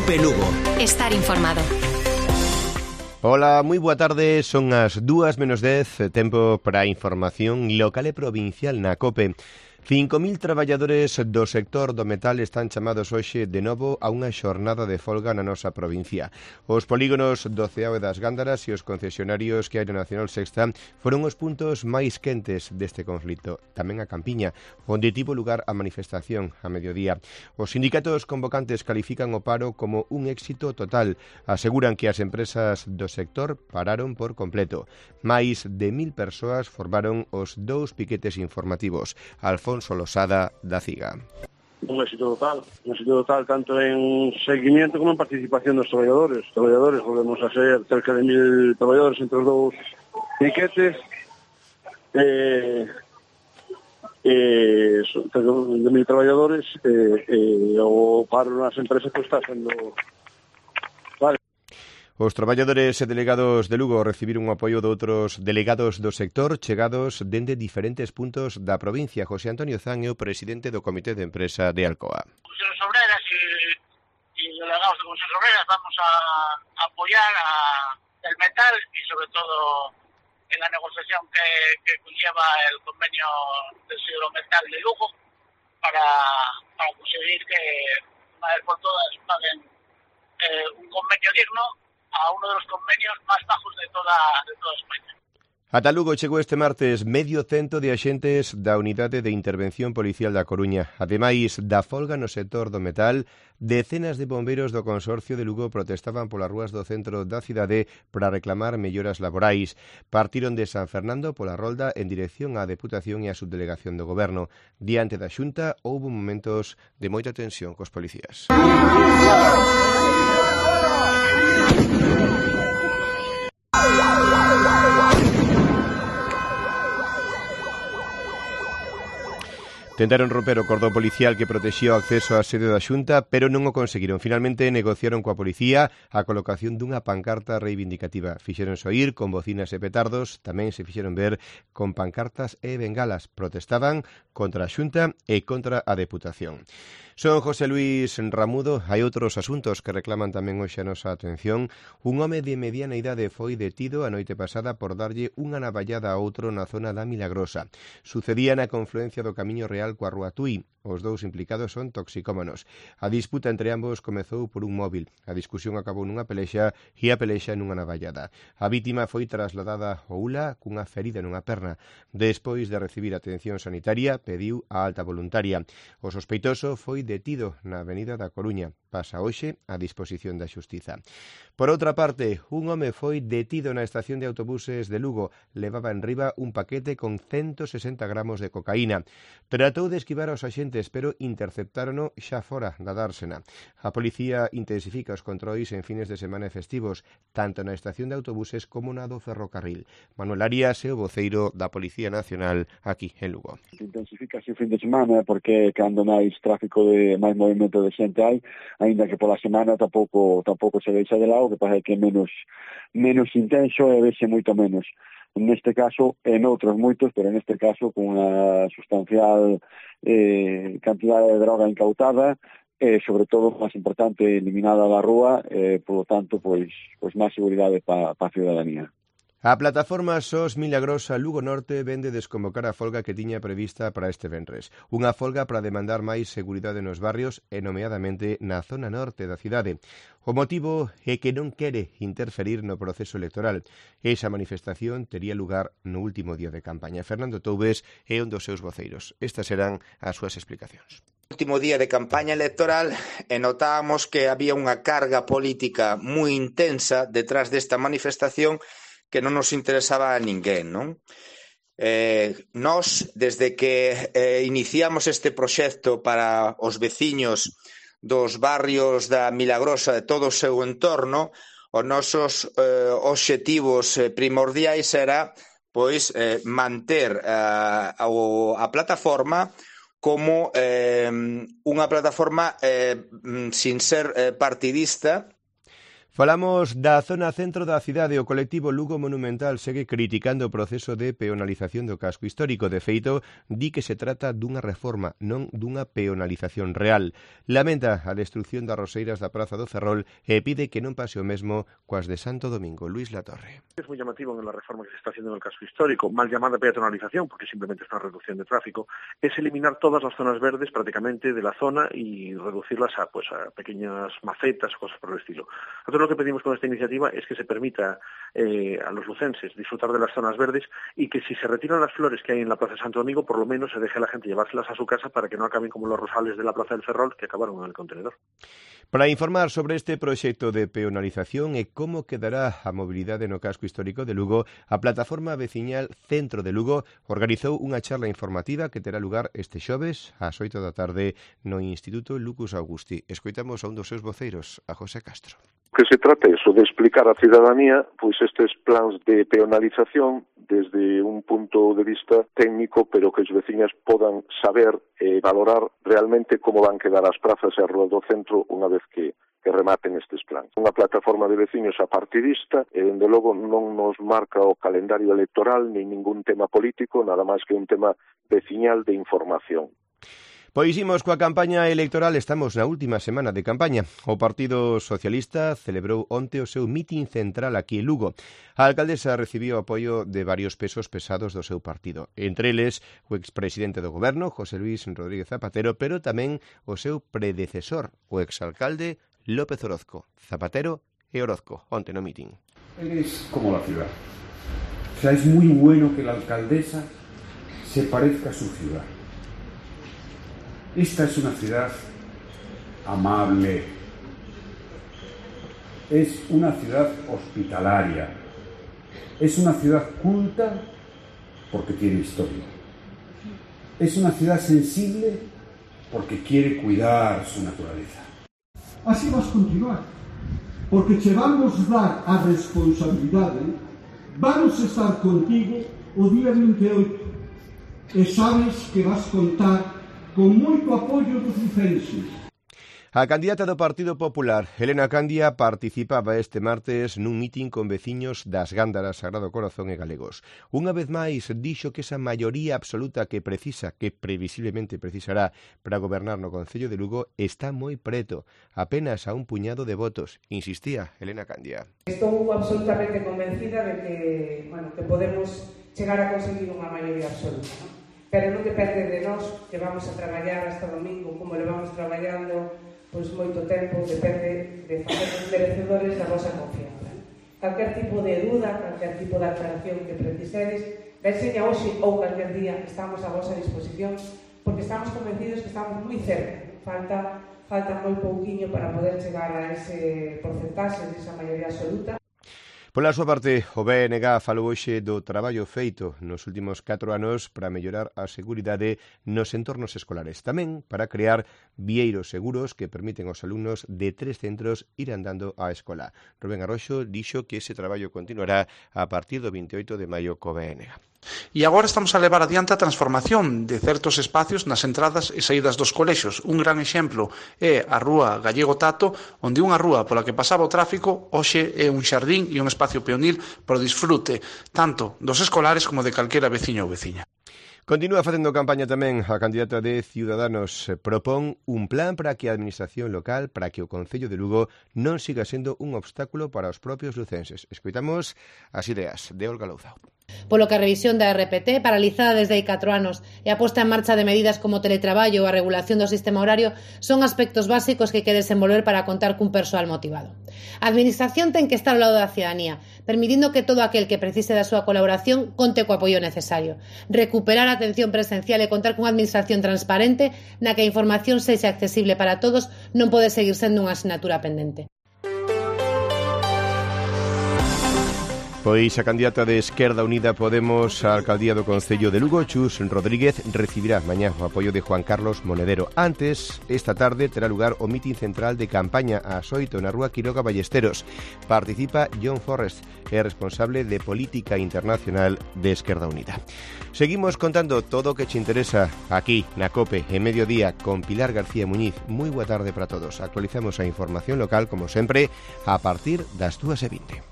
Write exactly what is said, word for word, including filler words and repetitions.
Cope Lugo. Estar informado. Ola, moi boa tarde, son as dúas menos dez, tempo para a información local e provincial na COPE. cinco mil traballadores do sector do metal están chamados hoxe de novo a unha xornada de folga na nosa provincia. Os polígonos do Ceao e das Gándaras e os concesionarios que hai na Nacional Sexta foron os puntos máis quentes deste conflito. Tamén a Campiña, onde tivo lugar a manifestación a mediodía. Os sindicatos convocantes califican o paro como un éxito total. Aseguran que as empresas do sector pararon por completo. Máis de mil persoas formaron os dous piquetes informativos. Alfonso Losada, da CIGA. Un éxito total, un éxito total tanto en seguimiento como en participación dos traballadores. Os traballadores, volvemos a ser cerca de mil traballadores entre os dous piquetes, eh, eh, cerca de mil traballadores, eh, eh, o paro nas empresas que está sendo... Vale. Os traballadores e delegados de Lugo recibiron o apoio de outros delegados do sector chegados dende diferentes puntos da provincia. José Antonio Zan é o presidente do Comité de Empresa de Alcoa. Comisiones Obreras e, e delegados de Comisiones Obreras vamos a apoyar a el metal y sobre todo en la negociación que, que conlleva el convenio del Siderometal de Lugo para, para conseguir que una vez por todas paguen eh, un convenio digno a uno de los convenios más bajos de toda, de toda España. Ata Lugo chegou este martes medio cento de axentes da Unidade de Intervención Policial da Coruña. Ademais da folga no sector do metal, decenas de bombeiros do Consorcio de Lugo protestaban polas rúas do centro da cidade para reclamar melloras laborais. Partiron de San Fernando pola Rolda en dirección á Deputación e á Subdelegación do Goberno. Diante da Xunta houbo momentos de moita tensión cos policías. Tentaron romper o cordón policial que protexía o acceso á sede da Xunta, pero non o conseguiron. Finalmente negociaron coa policía a colocación dunha pancarta reivindicativa. Fixeron oír con bocinas e petardos, tamén se fixeron ver con pancartas e bengalas. Protestaban contra a Xunta e contra a Deputación. Son José Luis Ramudo. Hai outros asuntos que reclaman tamén hoxe a nosa atención. Un home de mediana idade foi detido a noite pasada por darlle unha navallada a outro na zona da Milagrosa. Sucedía na confluencia do Camiño Real coa Rúa Tui. Os dous implicados son toxicómanos. A disputa entre ambos comezou por un móvil. A discusión acabou nunha pelexa e a pelexa nunha navallada. A vítima foi trasladada ao U L A cunha ferida nunha perna. Despois de recibir atención sanitaria, pediu a alta voluntaria. O sospeitoso foi detido na Avenida da Coruña. Pasa hoxe a disposición da Xustiza. Por outra parte, un home foi detido na estación de autobuses de Lugo. Levaba en riba un paquete con ciento sesenta gramos de cocaína. Tratou de esquivar aos axentes, pero interceptárono xa fora da dársena. A policía intensifica os controis en fines de semana e festivos, tanto na estación de autobuses como na do ferrocarril. Manuel Arias é o voceiro da Policía Nacional aquí en Lugo. Intensifica o fin de semana porque cando máis tráfico de máis movimento de xente hai, aínda que pola semana tampouco tampouco se deixa de lado, que pasa que é menos menos intenso e vese moito menos. Neste caso, en outros moitos, pero neste caso con unha sustancial eh, cantidad de droga incautada, e sobre todo, máis importante, eliminada da rúa, e, por lo tanto, pois, pois máis seguridade para pa a ciudadanía. A plataforma S O S Milagrosa Lugo Norte vende desconvocar a folga que tiña prevista para este venres. Unha folga para demandar máis seguridade nos barrios e nomeadamente na zona norte da cidade. O motivo é que non quere interferir no proceso electoral. Esa manifestación tería lugar no último día de campaña. Fernando Toubes é un dos seus voceiros. Estas serán as súas explicacións. Último día de campaña electoral e notábamos que había unha carga política moi intensa detrás desta manifestación que non nos interesaba a ninguén, non? Eh, nós, desde que eh, iniciamos este proxecto para os veciños dos barrios da Milagrosa e todo o seu entorno, os nosos eh, obxectivos eh, primordiais era pois eh, manter eh, a, a plataforma como eh, unha plataforma eh, sin ser eh, partidista. Falamos da zona centro da cidade. O colectivo Lugo Monumental segue criticando o proceso de peonalización do casco histórico. De feito, di que se trata dunha reforma, non dunha peonalización real. Lamenta a destrucción das roseiras da Praza do Ferrol e pide que non pase o mesmo coas de Santo Domingo. Luis Latorre. Es muy llamativo en la reforma que se está haciendo en el casco histórico, mal llamada peatonalización, porque simplemente es una reducción de tráfico, es eliminar todas las zonas verdes prácticamente de la zona y reducirlas a, pues, a pequeñas macetas o cosas por el estilo. Nosotros lo que pedimos con esta iniciativa es que se permita eh, a los lucenses disfrutar de las zonas verdes y que si se retiran las flores que hay en la Plaza de Santo Domingo, por lo menos se deje a la gente llevárselas a su casa para que no acaben como los rosales de la Plaza del Ferrol que acabaron en el contenedor. Para informar sobre este proxecto de peonalización e como quedará a mobilidade no casco histórico de Lugo, a plataforma veciñal Centro de Lugo organizou unha charla informativa que terá lugar este xoves ás oito da tarde no Instituto Lucus Augusti. Escoitamos a un dos seus voceiros, a José Castro. Que se trata eso, de explicar á cidadanía pois estes plans de peonalización desde un punto de vista técnico, pero que os veciñas podan saber e valorar realmente como van quedar as prazas e as ruas do centro unha vez que, que rematen estes plans. Unha plataforma de veciños apartidista e, dende logo, non nos marca o calendario electoral ni ningún tema político, nada máis que un tema veciñal de información. Pois imos coa campaña electoral, estamos na última semana de campaña. O Partido Socialista celebrou onte o seu mitin central aquí en Lugo. A alcaldesa recibiu o apoio de varios pesos pesados do seu partido, entre eles o expresidente do goberno, José Luis Rodríguez Zapatero, pero tamén o seu predecesor, o exalcalde López Orozco. Zapatero e Orozco, onte no mitin. Es como la ciudad. O sea, es muy bueno que la alcaldesa se parezca a su ciudad. Esta es una ciudad amable, es una ciudad hospitalaria, es una ciudad culta porque tiene historia, es una ciudad sensible porque quiere cuidar su naturaleza. Así vas continuar, porque che vamos dar a responsabilidade, vamos estar contigo o día vinte e oito e sabes que vas contar con moito apoio dos lucenses. A candidata do Partido Popular, Helena Candia, participaba este martes nun mitin con veciños das Gándaras, Sagrado Corazón e Galegos. Unha vez máis, dixo que esa maioría absoluta que precisa, que previsiblemente precisará para gobernar no Concello de Lugo, está moi preto, apenas a un puñado de votos, insistía Helena Candia. Estou absolutamente convencida de que, bueno, que podemos chegar a conseguir unha maioría absoluta, ¿no? Pero non depende de nós, que vamos a traballar hasta domingo, como le vamos traballando pois moito tempo, depende de facernos merecedores da vosa confianza. Calquer tipo de duda, calquer tipo de aclaración que precisedes, veseña hoxe ou calquer día, estamos a vosa disposición, porque estamos convencidos que estamos moi cerca. Falta, falta moi pouquiño para poder chegar a ese porcentaxe, esa maioría absoluta. Pola súa parte, o B N G falou hoxe do traballo feito nos últimos catro anos para mellorar a seguridade nos entornos escolares. Tamén para crear vieiros seguros que permiten aos alumnos de tres centros ir andando á escola. Rubén Arroxo dixo que ese traballo continuará a partir do vinte e oito de maio co B N G. E agora estamos a levar adiante a transformación de certos espacios nas entradas e saídas dos colexos. Un gran exemplo é a rúa Gallego Tato, onde unha rúa pola que pasaba o tráfico hoxe é un xardín e un espacio peonil para o disfrute tanto dos escolares como de calquera veciño ou veciña. Continúa facendo campaña tamén a candidata de Ciudadanos. Propón un plan para que a administración local, para que o Concello de Lugo non siga sendo un obstáculo para os propios lucenses. Escoitamos as ideas de Olga Louzao. Polo que a revisión da R P T, paralizada desde hai catro anos, e a posta en marcha de medidas como o teletraballo ou a regulación do sistema horario son aspectos básicos que hai que desenvolver para contar cun persoal motivado. A administración ten que estar ao lado da cidadanía, permitindo que todo aquel que precise da súa colaboración conte co apoio necesario. Recuperar a atención presencial e contar cunha administración transparente na que a información sexa accesible para todos non pode seguir sendo unha asignatura pendente. Pois a candidata de Esquerda Unida Podemos á alcaldía do Concello de Lugo, Chus Rodríguez, recibirá mañá o apoio de Juan Carlos Monedero. Antes, esta tarde, terá lugar o mitin central de campaña ás oito na rúa Quiroga Ballesteros. Participa John Forrest, é responsable de Política Internacional de Esquerda Unida. Seguimos contando todo o que che interesa aquí, na COPE, en Mediodía, con Pilar García Muñiz. Moi boa tarde para todos. Actualizamos a información local, como sempre, a partir das dúas e vinte.